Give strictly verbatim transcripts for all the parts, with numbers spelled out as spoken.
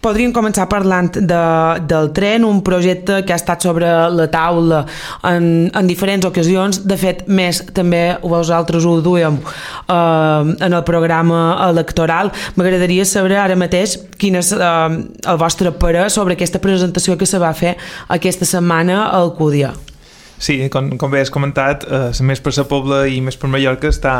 podríem començar parlant de, del tren, un projecte que ha estat sobre la taula en, en diferents ocasions. De fet, més també vosaltres ho duem eh, en el programa electoral. M'agradaria saber ara mateix quin és eh, el vostre parer sobre aquesta presentació que se va fer aquesta setmana a Alcúdia. Sí, com, com bé has comentat, eh, Més per la Pobla i Més per Mallorca està...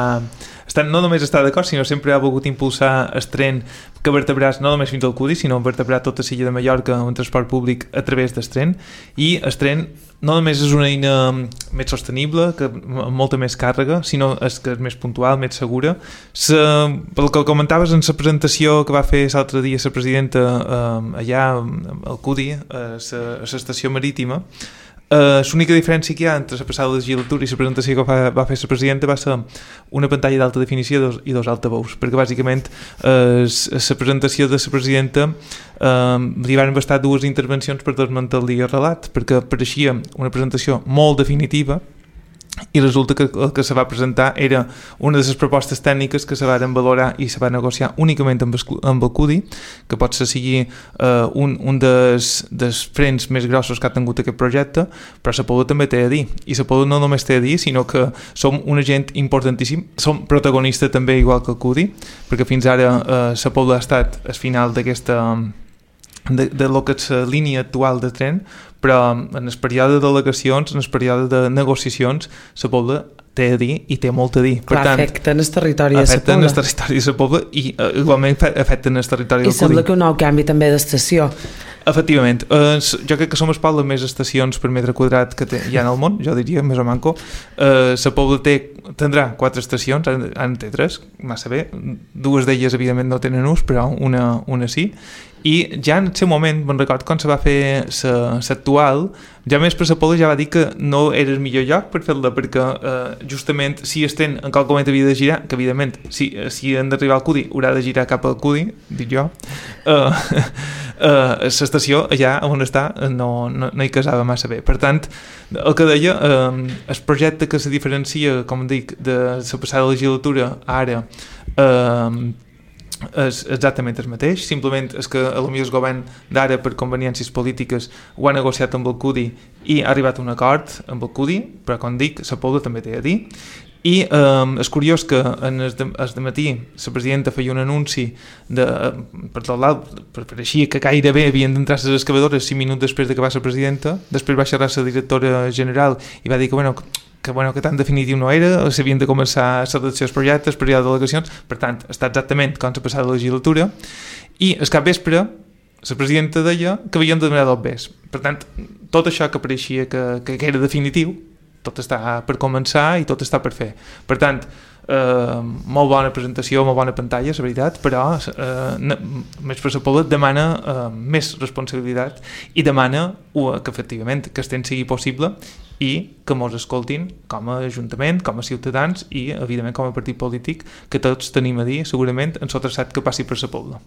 Està, no només està d'acord, sinó sempre ha volgut impulsar el tren que vertebràs no només fins al Cudi, sinó vertebrar tota l'illa de Mallorca en transport públic a través del tren. I el tren no només és una eina més sostenible, que amb molta més càrrega, sinó és que és més puntual, més segura. Se, pel que comentaves en la presentació que va fer l'altre dia la presidenta eh, allà al Cudi, a l'estació marítima, Uh, l'única diferència que hi ha entre la passada legislatura i la presentació que va, va fer la presidenta va ser una pantalla d'alta definició dos, i dos altaveus, perquè bàsicament uh, la presentació de la presidenta uh, li van bastar dues intervencions per desmantellar el relat, perquè pareixia una presentació molt definitiva i resulta que el que se va presentar era una de les propostes tècniques que se van valorar i se va negociar únicament amb el, amb el Cudi, que pot ser sigui uh, un, un dels, dels frens més grossos que ha tingut aquest projecte, però la Pobla també té a dir, i la Pobla no només té a dir, sinó que som un agent importantíssim, som protagonista també igual que el Cudi, perquè fins ara uh, la Pobla ha estat al final d'aquesta de, de lo que és la línia actual de tren, però en el període de delegacions, en el període de negociacions, la Pobla té a dir i té molt a dir. Per Clar, tant, afecten el territori de la Pobla. Afecten el territori de la Pobla i uh, igualment afecten el territori del Cudi. I sembla que un nou canvi també d'estació. Efectivament, eh, jo crec que som el poble més estacions per metre quadrat que té, hi ha en el món, jo diria, més o manco. Eh, la Pobla té, tindrà quatre estacions, en té tres, massa bé, dues d'elles evidentment no tenen ús, però una, una sí, i ja en el seu moment, me'n record quan se va fer l'actual, ja més per la Pobla ja va dir que no era el millor lloc per fer-la, perquè eh, justament si el tren en qualque moment havia de girar, que evidentment si, si han d'arribar al Cudi haurà de girar cap al Cudi, dic jo, eh, Uh, l'estació allà on està no, no, no hi casava massa bé. Per tant, el que deia, uh, el projecte que se diferencia, com dic, de la passada legislatura ara uh, és exactament el mateix, simplement és que potser el govern d'ara per conveniències polítiques ho ha negociat amb el Cudi i ha arribat a un acord amb el Cudi, però com dic, la Pobla també té a dir. I eh, és curiós que en el de, el de matí la presidenta feia un anunci de, per tot l'alt, pareixia que gairebé havien d'entrar les excavadores cinc minuts després de que va ser presidenta, després va xerrar la directora general i va dir que bueno, que, bueno, que tan definitiu no era, s'havien de començar a redactar els projectes, període de delegacions, per tant, està exactament com s'ha passat la legislatura, i al capvespre la presidenta deia que havien de donar dos bes. Per tant, tot això que pareixia que, que era definitiu, tot està per començar i tot està per fer. Per tant, eh, molt bona presentació, molt bona pantalla, la veritat, però eh, Més per la Pobla demana eh, més responsabilitat i demana uh, que efectivament que el temps sigui possible i que mos escoltin com a Ajuntament, com a ciutadans i evidentment com a partit polític, que tots tenim a dir segurament en el traçat que passi per la Pobla.